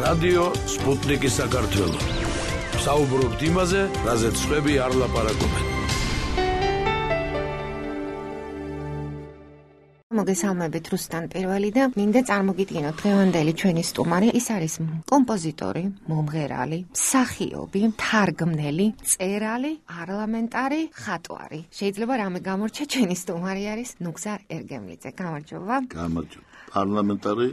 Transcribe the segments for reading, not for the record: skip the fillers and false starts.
რადიო სპუტნიკი საქართველო. საუბრობთ იმაზე, რაზეც სხვები არ ლაპარაკობენ. მოგესალმებით რუსთან პირველი და მინდა წარმოგიდგინოთ დღევანდელი ჩვენი სტუმარი. ის არის კომპოზიტორი, მომღერალი, მსახიობი, თარგმნელი, მწერალი, პარლამენტარი, ხატვარი. შეიძლება რამე გამორჩა ჩვენი სტუმარი არის ნუგზარ ერგემლიძე. გამარჯობა. გამარჯობა. პარლამენტარი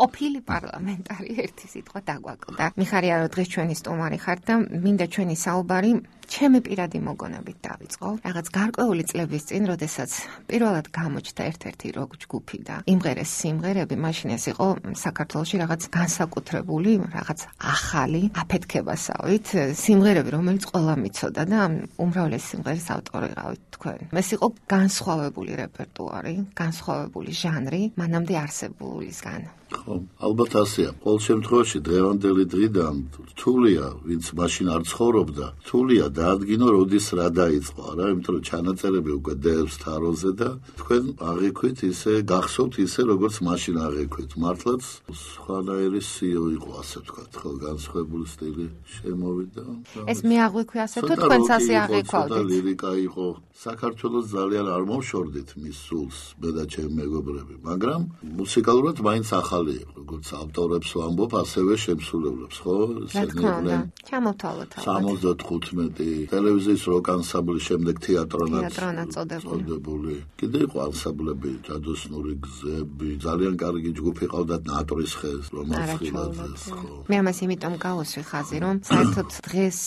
ყოფილი პარლამენტარი ერთი სიტყვა დაგვაკლდა. მიხარია რომ დღეს ჩვენი სტუმარი ხართ და მინდა ჩვენი საუბარი ჩემი პირადი მოგონებით დავიწყო. რაღაც გარკვეული წლების წინ, როდესაც პირველად გამოჩნდა ერთ-ერთი როკ ჯგუფი და იმღერეს სიმღერები, მაშინ ეს იყო საქართველოში რაღაც განსაკუთრებული, რაღაც ახალი აფეთქებასავით სიმღერები, რომელიც ყველა მიცოდა და უმრავლეს სიმღერის ავტორი ყავით თქვენ. ეს იყო განსხვავებული რეპერტუარი, განსხვავებული ჟანრი, მანამდე არსებულისგან. ხო, ალბათ ასეა. ყოველ შემთხვევაში დღევანდელი დღიდან რთულია, ვინც მაშინ არ ცხოვრობდა, რთულია დაადგინო, როდის რა დაიწყო, არა, იმიტომ რომ ჩანაწერები უკვე დევს თაროზე და თქვენ აღიქვით ისე, გახსოვთ ისე, როგორც მაშინ აღიქვით. მართლაც სხვანაირი სიო იყო, ასე ვთქვათ, ხო, განსხვავებული სტილი შემოვიდა. ეს მე აღვიქვი ასე თუ თქვენც ასე აღიქვავდით? ლირიკა იყო. საქართველოს ძალიან არ მომშორდით მის სულს, მე და ჩემი მეგობრები, მაგრამ მუსიკალურად მაინც ახალი იყო, როგორც ავტორებს ვამბობ, ასევე შემსრულებლებს, ხო? რა თქმა უნდა, ჩამოვთვალოთ. 75 ტელევიზიის როკ ანსამბლი, შემდეგ თეატრონაც წოდებული. კიდე იყო ანსამბლები, ჯადოსნური გზები, ძალიან კარგი ჯგუფი ყავდათ ნატრის ხეს, რომანსხილაძეს, ხო. მე ამას იმიტომ გავუსვი ხაზი, რომ საერთოდ დღეს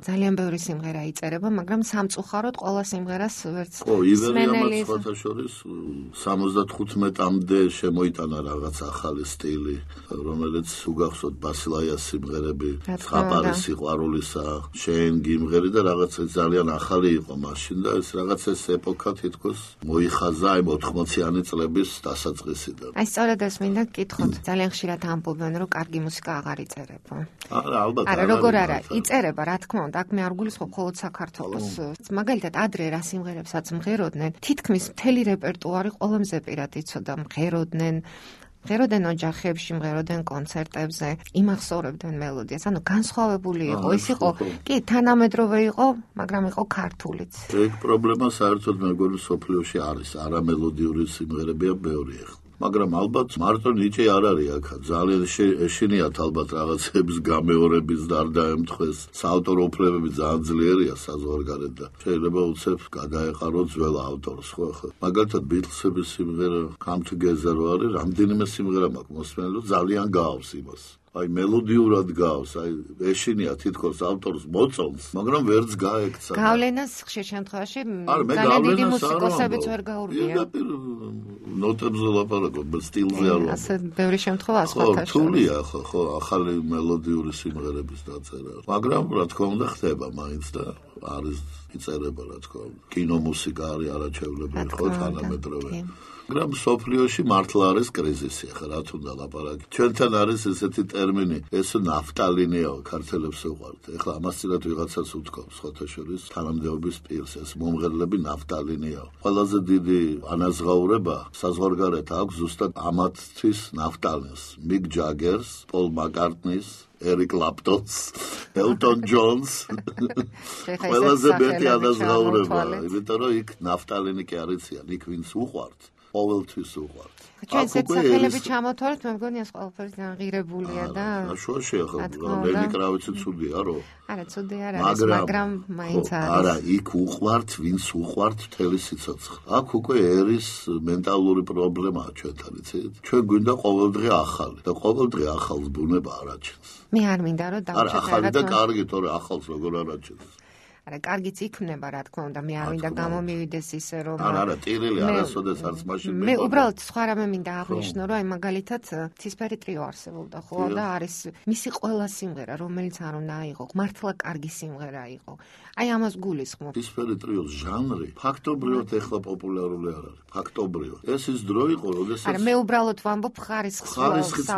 ძალიან ბევრი სიმღერა იწერება, მაგრამ სამწუხაროდ ყველა სიმღერას ვერც სმენელი. სხვათა შორის 75-მდე შემოიტანა რაღაც ახალი სტილი, რომელიც უგახსოვთ ბასილაიას სიმღერები, ხაპარი სიყვარულისა, შენ გიმღერი და რაღაც ძალიან ახალი იყო მაშინ და ეს რაღაც ეს ეპოქა თითქოს მოიხაზა აი 80-იანი წლების დასაწყისიდან. აი სწორედ ეს მინდა გკითხოთ. ძალიან ხშირად ამბობენ, რომ კარგი მუსიკა აღარ იწერება. არა, ალბათ. არა, როგორ არა, იწერება, რა თქმა უნდა, აქ მე არ გულისხმობ მხოლოდ საქართველოს. მაგალითად, ადრე რა სიმღერებსაც მღეროდნენ, თითქმის მთელი რეპერტუარი ყველაზე პირად იცოდა, მღეროდნენ ოჯახებში, მღეროდნენ კონცერტებზე, იმახსოვრებდნენ მელოდიას. ანუ განსხვავებული იყო, ის იყო, კი, თანამედროვე იყო, მაგრამ იყო ქართულიც. ეგ პრობლემა საერთოდ მეგონი სოფლიოში არის, არამელოდიური სიმღერებია ბევრი ახლა. მაგრამ ალბათ მარტო ნიჭი არ არის აქ. ძალიან ეშინიათ ალბათ რაღაცების გამეორების და არ დაემთხეს. საავტორო უფლებები ძალიან ძლიერია საზღვარგარეთ და შეიძლება უცებ გადაეყარო ძველ ავტორს, ხო ხო. მაგალითად ბიტლსების სიმღერა Come Together არის, რამდენიმე სიმღერა მაქვს მოსმენელი, ძალიან გაავს იმას. აი მელოდიურად გავს, აი ეშინია თითქოს ავტორს მოწონს, მაგრამ ვერც გაექცა. გავლენას ხშირ შემთხვევაში ძალიან დიდი მუსიკოსებიც ვერ გაურბიან. ნოტებზე ლაპარაკობ, სტილზე არ ვარ. ასე ბევრი შემთხვევა სხვათა შორის. რთულია ხო, ახალი მელოდიური სიმღერების დაწერა. მაგრამ რა თქმა უნდა ხდება მაინც და არის იწერება, რა თქმა უნდა. კინომუსიკა არის არაჩვეულებრივი, ხო, თანამედროვე. მაგრამ სოფლიოში მართლა არის კრიზისი, ახლა რა თუნდა ლაპარაკი. ჩვენთან არის ესეთი ტერმინი, ეს ნაფტალინია, ქართველებს უყვართ. ახლა ამას წინათ ვიღაცას უთქვამს, სხვათა შორის თანამდებობის პირს, ეს მომღერლები ნაფტალინია. ყველაზე დიდი ანაზღაურება საზღვარგარეთ აქვს ზუსტად ამათთვის ნაფტალინს, მიკ ჯაგერს, პოლ მაკარტნის, ერიკ კლაპტონს, ელტონ ჯონს. ყველაზე მეტი ანაზღაურება, იმიტომ რომ იქ ნაფტალინი კი არ იციან, იქ ვინც უყვართ. ყოველთვის უყვართ. ჩვენ სახელები ჩამოთვალეთ, მე მგონი ეს ყველაფერი განღირებულია და შუაში ახლა ლენი კრავიცი ცუდია, რო? არა, ცუდი არ არის, მაგრამ მაინც არის. არა, იქ უყვართ, ვინც უყვართ მთელი სიცოცხლე. აქ უკვე ერის მენტალური პრობლემაა ჩვენთან, იცით? ჩვენ გვინდა ყოველდღე ახალი და ყოველდღე ახალს ბუნება არ აჩენს. მე არ მინდა რომ არა, ახალი და კარგი, თორე ახალს როგორ არ აჩენს. არა, კარგიც იქნება, რა თქმა უნდა, მე არ მინდა გამომივიდეს ისე, რომ არა, ტირილი არასოდეს არც მაშინ მე უბრალოდ სხვა რამე მინდა აღნიშნო, რომ აი მაგალითად ცისფერი ტრიო არსებობდა, ხო, და არის მისი ყველა სიმღერა, რომელიც არ უნდა აიღო, მართლა კარგი სიმღერა იყო. აი ამას გულისხმობ. ცისფერი ტრიოს ჟანრი ფაქტობრივად ეხლა პოპულარული არ არის. ფაქტობრივად. ეს ის დრო იყო, როდესაც არა, მე უბრალოდ ვამბობ ხარისხს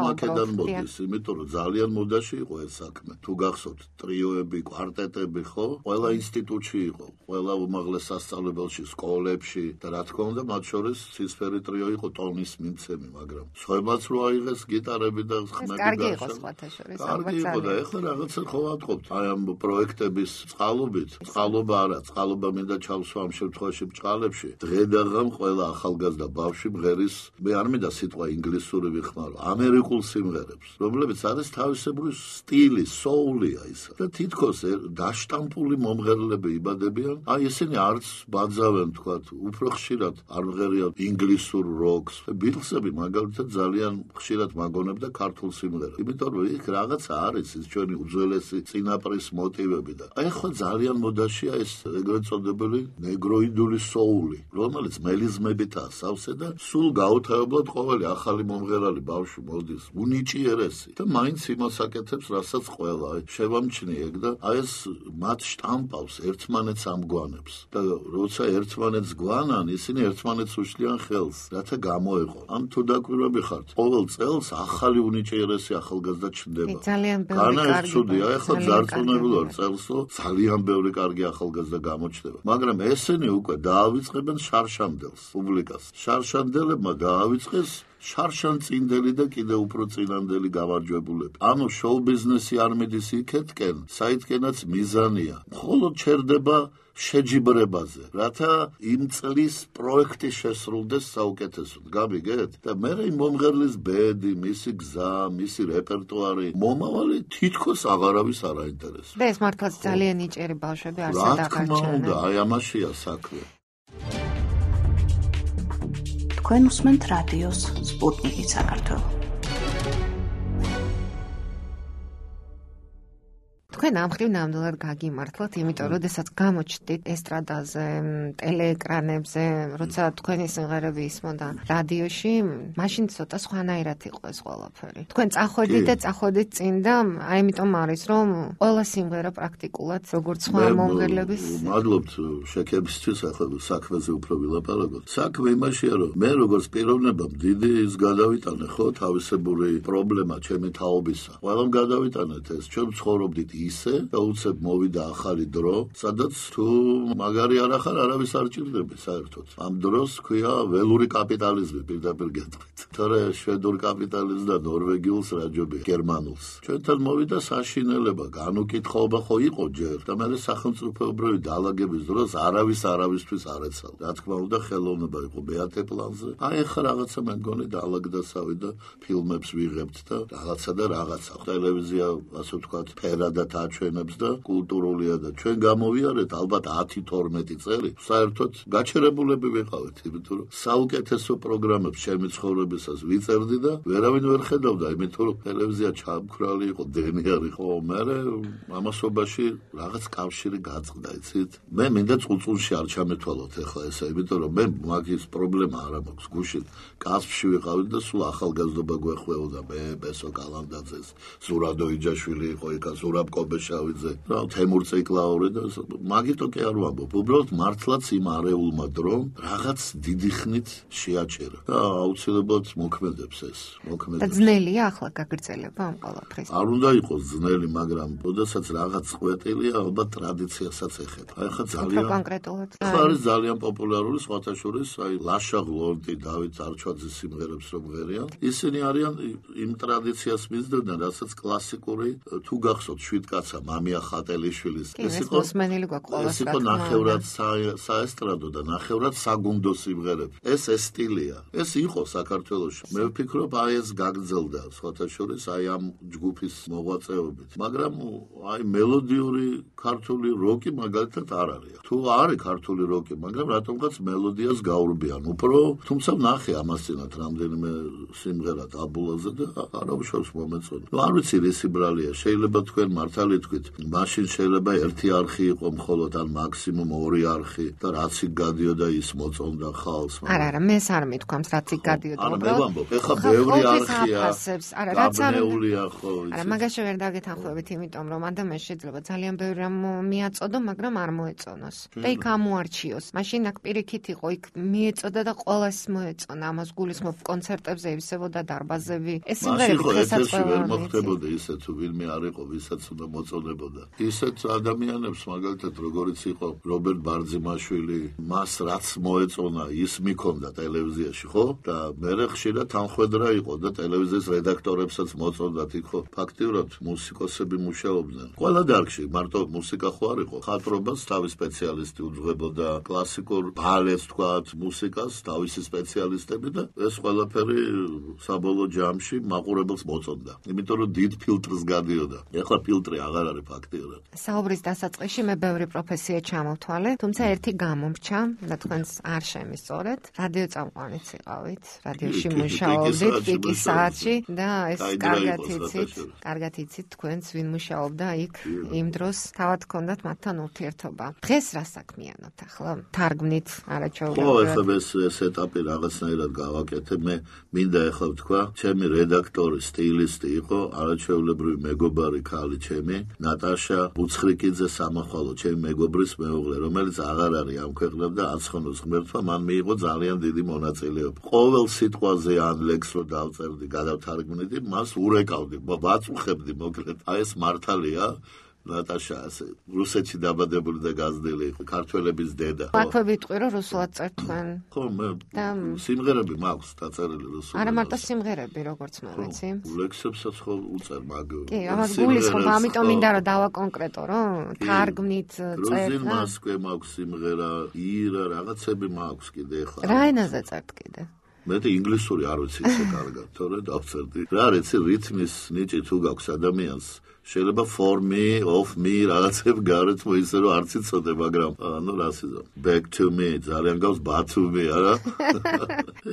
მაქედან მოდის, იმიტომ რომ ძალიან მოდაში იყო ეს საქმე. თუ გახსოვთ ტრიოები, კვარტეტები, ხო? ყველა ინსტიტუტში იყო, ყველა უმაღლეს სასწავლებელში, სკოლებში და რა თქმა უნდა, მათ შორის ცისფერი ტრიო იყო ტონის მიცემი, მაგრამ სხვებაც რო აიღეს გიტარები და ხმები კარგი იყო სხვათა შორის. კარგი იყო და ეხლა რაღაცა ხო ვატყობთ. აი ამ პროექტების წყალობით, წყალობა არა, წყალობა მინდა ჩავსვა ამ შემთხვევაში ბჭყალებში. დღე-დღე ყველა ახალგაზრდა ბავშვი მღერის, მე არ მინდა სიტყვა ინგლისური ვიხმარო, ამერიკულ სიმღერებს, რომლებიც არის თავისებური სტილი, soul-ია ისა. და თითქოს დაშტამპული მომღერლები იბადებიან, აი ესენი არც ბაძავენ თქვათ, უფრო ხშირად არ მღერიან ინგლისურ როკს. ბიტლსები მაგალითად ძალიან ხშირად მაგონებდა ქართულ სიმღერებს. იმიტომ რომ იქ რაღაცა არის ის ჩვენი უძველესი წინაპრის მოტივები და აი ხო ძალიან მოდაშია ეს ეგრეთ წოდებული ნეგროიდული soul-ი, რომელიც მელიზმებითაა სავსე და სულ გაუთავებლად ყოველი ახალი მომღერალი ბავშვი მოდის უნიჭიერესი და მაინც იმას აკეთებს, რასაც ყველა შევამჩნიე და აი ეს მათ შტამპავს ერთმანეთს ამგვანებს და როცა ერთმანეთს გვანან, ისინი ერთმანეთს უშლიან ხელს, რათა გამოეყო. ან თუ დაკვირვები ხართ, ყოველ წელს ახალი უნიჭიერესი ახალგაზრდა ჩნდება. ძალიან ბევრი კარგი. ცუდია, ეხლა ძარწმუნებული ვარ წელს, რომ ძალიან ბევრი კარგი ახალგაზრდა გამოჩნდება. მაგრამ ესენი უკვე დაავიწყებენ შარშანდელს, პუბლიკას. შარშანდელებმა დაავიწყეს შარშანწინდელი და კიდევ უფრო წინანდელი გამარჯვებულები. ანუ შოუ ბიზნესი არ მიდის იქეთკენ, საითკენაც მიზანია. მხოლოდ ჩერდება შეჯიბრებაზე, რათა იმ წლის პროექტი შესრულდეს საუკეთესოდ. გამიგეთ? და მე იმ მომღერლის ბედი, მისი გზა, მისი რეპერტუარი, მომავალი თითქოს აღარავის არ აინტერესებს. და ეს მართლაც ძალიან ნიჭიერი ბავშვები არსად აღარჩენენ. აი ამაშია საქმე. თქვენ უსმენთ რადიოს სპუტნიკი საქართველო. თქვენ ამხრივ ნამდვილად გაგიმართლოთ, იმიტომ რომ შესაძ გამოჩდით ესტრადაზე, ტელეეკრანებზე, როცა თქვენი სიმღერები ისმოდა რადიოში, მაშინ ცოტა სხვანაირად იყო ეს ყველაფერი. თქვენ წახვედით და წახვედით წინ და აი იმიტომ არის, რომ ყველა სიმღერა პრაქტიკულად როგორც სხვა მომღერლების. მადლობთ შექებისთვის, ახლა საქმეზე უფრო ვილაპარაკოთ. საქმე იმაშია, რომ მე როგორც პიროვნებამ დიდი ის გადავიტანე, ხო, თავისებური პრობლემა ჩემი თაობისა. ყველამ გადავიტანეთ ეს, ჩვენ ცხოვრობდით ისე და უცებ მოვიდა ახალი დრო, სადაც თუ მაგარი არ ახარ, არავის არ ჭირდება საერთოდ. ამ დროს ქვია ველური კაპიტალიზმი პირდაპირ გეტყვით. თორე შვედურ კაპიტალიზმს და ნორვეგიულს რაჯობი გერმანულს. ჩვენთან მოვიდა საშინელება, განუკითხაობა ხო იყო ჯერ და მე სახელმწიფოებრივი დაალაგების დროს არავისთვის არ ეცალ. რა თქმა უნდა, ხელოვნება იყო ბეატე პლანზე. აი ახლა რაღაცა მე მგონი დაალაგდასავი და ფილმებს ვიღებთ და რაღაცა. ტელევიზია, ასე ვთქვათ, ფერადად აჩვენებს და კულტურულია და ჩვენ გამოვიარეთ ალბათ 10-12 წელი. საერთოდ გაჩერებულები ვიყავით, იმიტომ რომ საუკეთესო პროგრამებს ჩემი ცხოვრებისას ვიწერდი და ვერავინ ვერ ხედავდა, იმიტომ რომ ტელევიზია ჩამქრალი იყო, დენიარი ხო. მე ამასობაში რაღაც კავშირი გაწყდა, იცით? მე მინდა წუწუნში არ ჩამეთვალოთ ახლა ესა, იმიტომ რომ მე მაგის პრობლემა არ მაქვს გუშინ. კასპში ვიყავით და სულ ახალგაზრდობა გვეხვეოდა, მე ბესო კალანდაძეს, ზურაბ იჯაშვილი იყო იქა, ზურაბ კობეშავიძე, რა თემურ ციკლაური და მაგიტო კი არ ვამბობ. უბრალოდ მართლაც იმ არეულმა დრომ რაღაც დიდი ხნით შეაჩერა და აუცილებლად მოქმედებს ეს. და ძნელია ახლა გაგრძელება ამ ყველაფრის. არ უნდა იყოს ძნელი, მაგრამ როდესაც რაღაც ყვეტილია, ალბათ ტრადიციასაც ეხება. აი ხა ძალიან კონკრეტულად არის ძალიან პოპულარული სხვათა შორის, აი ლაშა გლონტი, დავით არჩვაძის სიმღერებს რომ ღერიან. ისინი არიან იმ ტრადიციას მისდევდნენ, რასაც კლასიკური თუ გახსოვთ შვიდკაცა მამია ხატელიშვილის. ეს იყო ნახევრად საესტრადო და ნახევრად საგუნდო სიმღერები. ეს სტილია. ეს იყო საქართველოში. მე ვფიქრობ, აი ეს გაგრძელდა სხვათა შორის აი ამ ჯგუფის მოღვაწეობით. მაგრამ აი მელოდიური ქართული როკი მაგალითად არ არის. თუ არის ქართული როკი, მაგრამ რატომღაც მელოდიას გაურბიან. უფრო თუმცა ნახე ამასწინათ რამდენიმე სიმღერა დაბულაზე და არავის მომეწონა. არ ვიცი რისი ბრალია, შეიძლება თქვენ მართალი თქვით, მაშინ შეიძლება ერთი არხი იყო მხოლოდ ან მაქსიმუმ ორი არხი და რაც იქ გადიოდა ის მოწონდა ხალხს. არა, მე არ მithქვამს რაც იქ გადიოდა. მე ვამბობ, ეხლა ბევრი არხია. არა, რაც არ მეულია ხო. არა, მაგაში ვერ დაგეთანხმებით, იმიტომ რომ ადამიანს შეიძლება ძალიან ბევრი რამ მიაწოდო, მაგრამ არ მოეწონოს. და იქ ამოარჩიოს. მაშინ აქ პირიქით იყო, იქ მიეწოდა და ყველას მოეწონა. ამას გულისხმობ კონცერტებზე ივსებოდა დარბაზები. ეს სიმღერები დღესაც ვერ მოხდებოდა ისე თუ ვინმე არ იყო, ვისაც უნდა მოწონებოდა. ისეთ ადამიანებს მაგალითად როგორიც იყო რობერტ ბარძიმაშვილი, მას რაც მოეწონა, ის მიქონდა ტელევიზიაში, ხო? და მერე ხშირად თანხმედრა იყო და ტელევიზიის რედაქტორებსაც მოწონდათ, იქ ხო ფაქტიურად მუსიკოსები მუშაობდნენ. ყველა დარგში, მარტო მუსიკა ხო არ იყო, ხატრობას თავის სპეციალისტი უძღვებოდა, კლასიკურ ბალეტს თქვათ, მუსიკას თავისი სპეციალისტები და ეს ყველაფერი საბოლოო ჯამში მაყურებელს მოწონდა. იმიტომ რომ დიდ ფილტრს გადიოდა. ეხლა ფილტრი აღარ არის ფაქტიურად. საუბრის დასაწყისში მე ბევრი პროფესია ჩამოვთვალე, თუმცა ერთი გამომრჩა და თქვენს არ შემისწორეთ. რადიო წამყვანიც იყავით, რადიოში მუშაობდით პიკის საათში და ეს კარგად იცით თქვენს ვინ მუშაობდა იქ იმ დროს თავად ჰქონდათ მათთან ურთიერთობა. დღეს რა საქმიანობთ ახლა? თარგმნით არაჩვეულებრივად. ხო, ეხლა ეს ეტაპი რაღაცნაირად გავაკეთე. მე მინდა ეხლა ვთქვა, ჩემი რედაქტორი, სტილისტი იყო არაჩვეულებრივი მეგობარი ქალი ჩემი, ნატაშა ბუცხრიკიძე სამახვალო, ჩემი მეგობრის მეუღლე, რომელიც აღარ არის ამ ქვეყნად და აცხონოს ღმერთმა, მან მიიღო ძალიან დიდი მონაწილეობა. ყოველ სიტყვაზე ან ლექსს რო დავწერდი, გადავთარგმნიდი, მას ურეკავდი, ვაწუხებდი მოკლედ. აი ეს მართალია. ნატაშა ასე რუსეთში დაბადებული და გაზრდილი იყო, ქართველების დედა. აქვე ვიტყვი რომ რუსულად წერთ თქვენ. ხო, მე სიმღერები მაქვს დაწერილი რუსულად. არა მარტო სიმღერები, როგორც მე ვიცი. ლექსებსაც ხო უწერ მაგ. კი, ამას გულისხმობ, ამიტომ მინდა რომ დავაკონკრეტო, რომ თარგმნით წერთ. გრუზინ მასკვე მაქვს სიმღერა, ირა რაღაცები მაქვს კიდე ახლა. რა ენაზე წერთ კიდე? მე ინგლისური არ ვიცი ისე კარგად, თორე დავწერდი. რა არის რითმის ნიჭი თუ გაქვს ადამიანს, შეიძლება for me, of me რაღაცები გარეთ მოიცე რომ არც იცოდე, მაგრამ ანუ რასიზო. Back to me ძალიან გავს but to me, არა?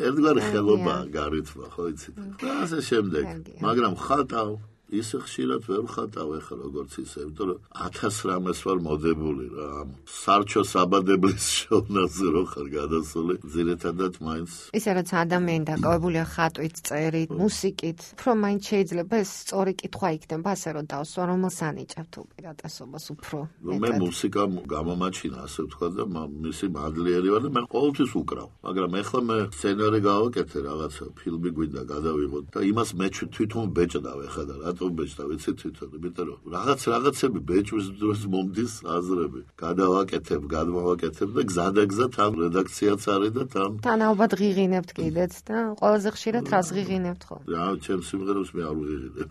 ერთგვარი ხელობა გარეთმა, ხო იცით? და ასე შემდეგ. მაგრამ ხატავ ისე ხშირად ვერ ვხატავ ახლა როგორც ისე, იმიტომ რომ 1000 რამეს ვარ მოდებული რა. სარჩო საბადებლის შოვნაზე რო ხარ გადასული, ძირითადად მაინც ისე რაც ადამიანი დაკავებულია ხატვით, წერით, მუსიკით, უფრო მაინც შეიძლება ეს სწორი კითხვა იქნება, ასე რომ დავსვა, რომელს ანიჭებთ უპირატესობას უფრო. მე მუსიკა გამომაჩინა, ასე ვთქვა და მისი მადლიერი ვარ და მე ყოველთვის უკრავ. მაგრამ ახლა მე სცენარი გავაკეთე რაღაცა, ფილმი გვინდა გადავიღოთ და იმას მე თვითონ ბეჭდავ ახლა და ბეჭდა ვიცი თვითონ, იმიტომ რომ რაღაცები ბეჭვის დროს მომდის აზრები. გადმოვაკეთებ და გზადაგზად ამ რედაქციაც არის და თან ალბათ ღიღინებთ კიდეც და ყველაზე ხშირად რას ღიღინებთ ხო? რა, ჩემ სიმღერებს მე არ ვღიღინებ.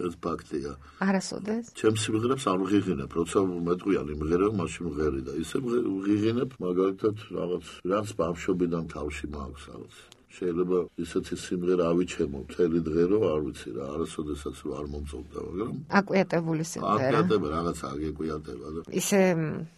ეს ფაქტია. არასოდეს? ჩემ სიმღერებს არ ვღიღინებ, როცა მეტყვიანი მღერება, მაშინ ვღერი და ისე ვღიღინებ, მაგალითად რაღაც ბავშვობიდან თავში მაქვს რაღაც. შეიძლება ისეთი სიმღერა ავიჩემო მთელი დღე რომ არ ვიცი რა, არასოდესაც არ მომწონდა, მაგრამ აკვიატებული სიმღერა. აკვიატება რაღაცა აგეკვიატება და ისე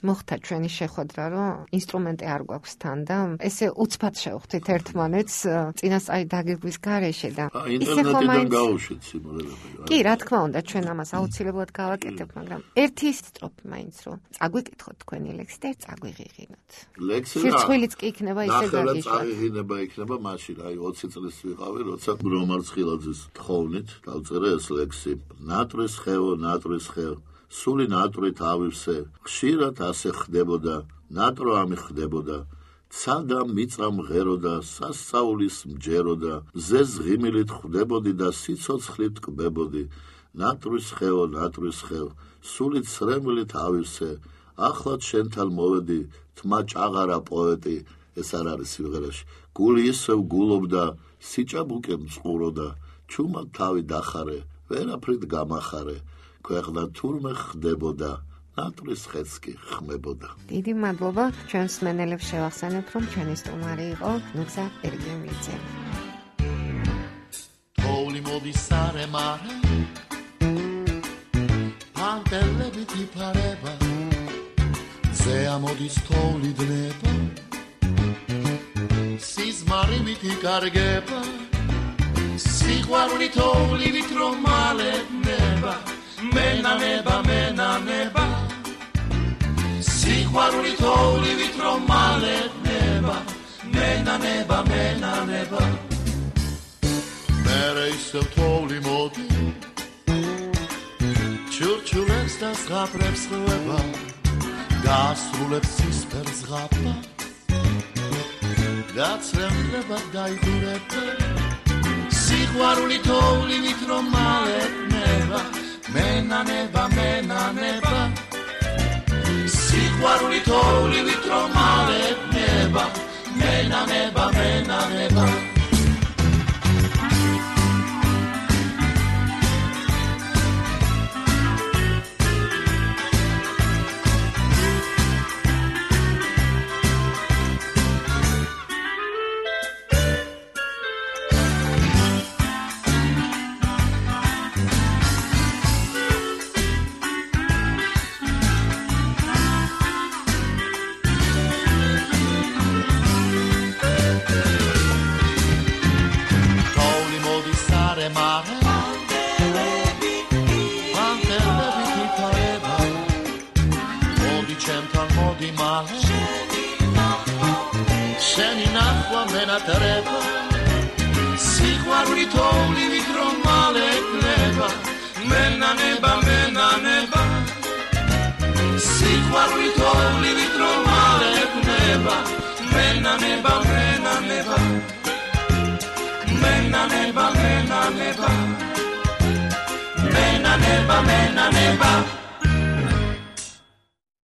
მოხდა ჩვენი შეხვედრა, რომ ინსტრუმენტი არ გვაქვს თან და ესე უცბად შევხვდით ერთმანეთს წინასწარი დაგეგმვის გარეშე და ინტერნეტიდან გავუშვით სიმღერები. კი, რა თქმა უნდა, ჩვენ ამას აუცილებლად გავაკეთებთ, მაგრამ ერთი სტროფი მაინც რომ წაგვიკითხოთ თქვენი ლექსი და წაგვიღიღინოთ. სირცხვილიც კი იქნება ისე გაგიშვათ. წაიღინება იქნება მაშინ აი 20 წლის ვიყავი, როცა რომარ ცხილაძის თხოვნით დავწერე ეს ლექსი. ნატრის ხეო, სული ნატრით ავივსე, ხშირად ასე ხდებოდა, ნატრო ამი ხდებოდა. ცადა მიწა მღეროდა, სასწაულის მჯეროდა, ზეს ღიმილით ხდებოდი და სიცოცხლით კბებოდი. ნატრის ხეო, სული ცრემლით ავივსე, ახლად შენთან მოვედი, თმა ჭაღარა პოეტი. ეს არ არის სიმღერაში. გული ისევ გულობდა, სიჭაბუკე მწყუროდა, ჩუმად თავი დახარე, ვერაფრით გამახარე, ქვეყნა თურმე ხდებოდა, ნატრის ხეც კი ხმებოდა. დიდი მადლობა, ჩვენს მსმენელებს შევახსენებთ, რომ ჩვენი სტუმარი იყო ნუცა ერგემლიძე. თოვლი მოდის სარემარე, პანტელებით იფარება, ზე ამოდის თოვლი დნება, სიზმარივით იკარგება, სიყვარული თოვლივით რომ მალენება, მენანება, სიყვარული თოვლივით რომ მალენება, მენანება. მერე ისევ თოვლი მოდი, ჩურჩულებს და ზღაპრებს ხვება, გასრულებს სისფერ ზღაპა, გაცრემლება დაიგურება, სიყვარული თოვლივით რომ მალენება, მენანება მენანება სიყვარული თოვლივით რომ ალებნება მენანება მენანება სიყვარული თოვლივით რომ ალებნება მენანება მენანება სიყვარული თოვლივით რომ ალებნება მენანება მენანება მენანება მენანება მენანება მენანება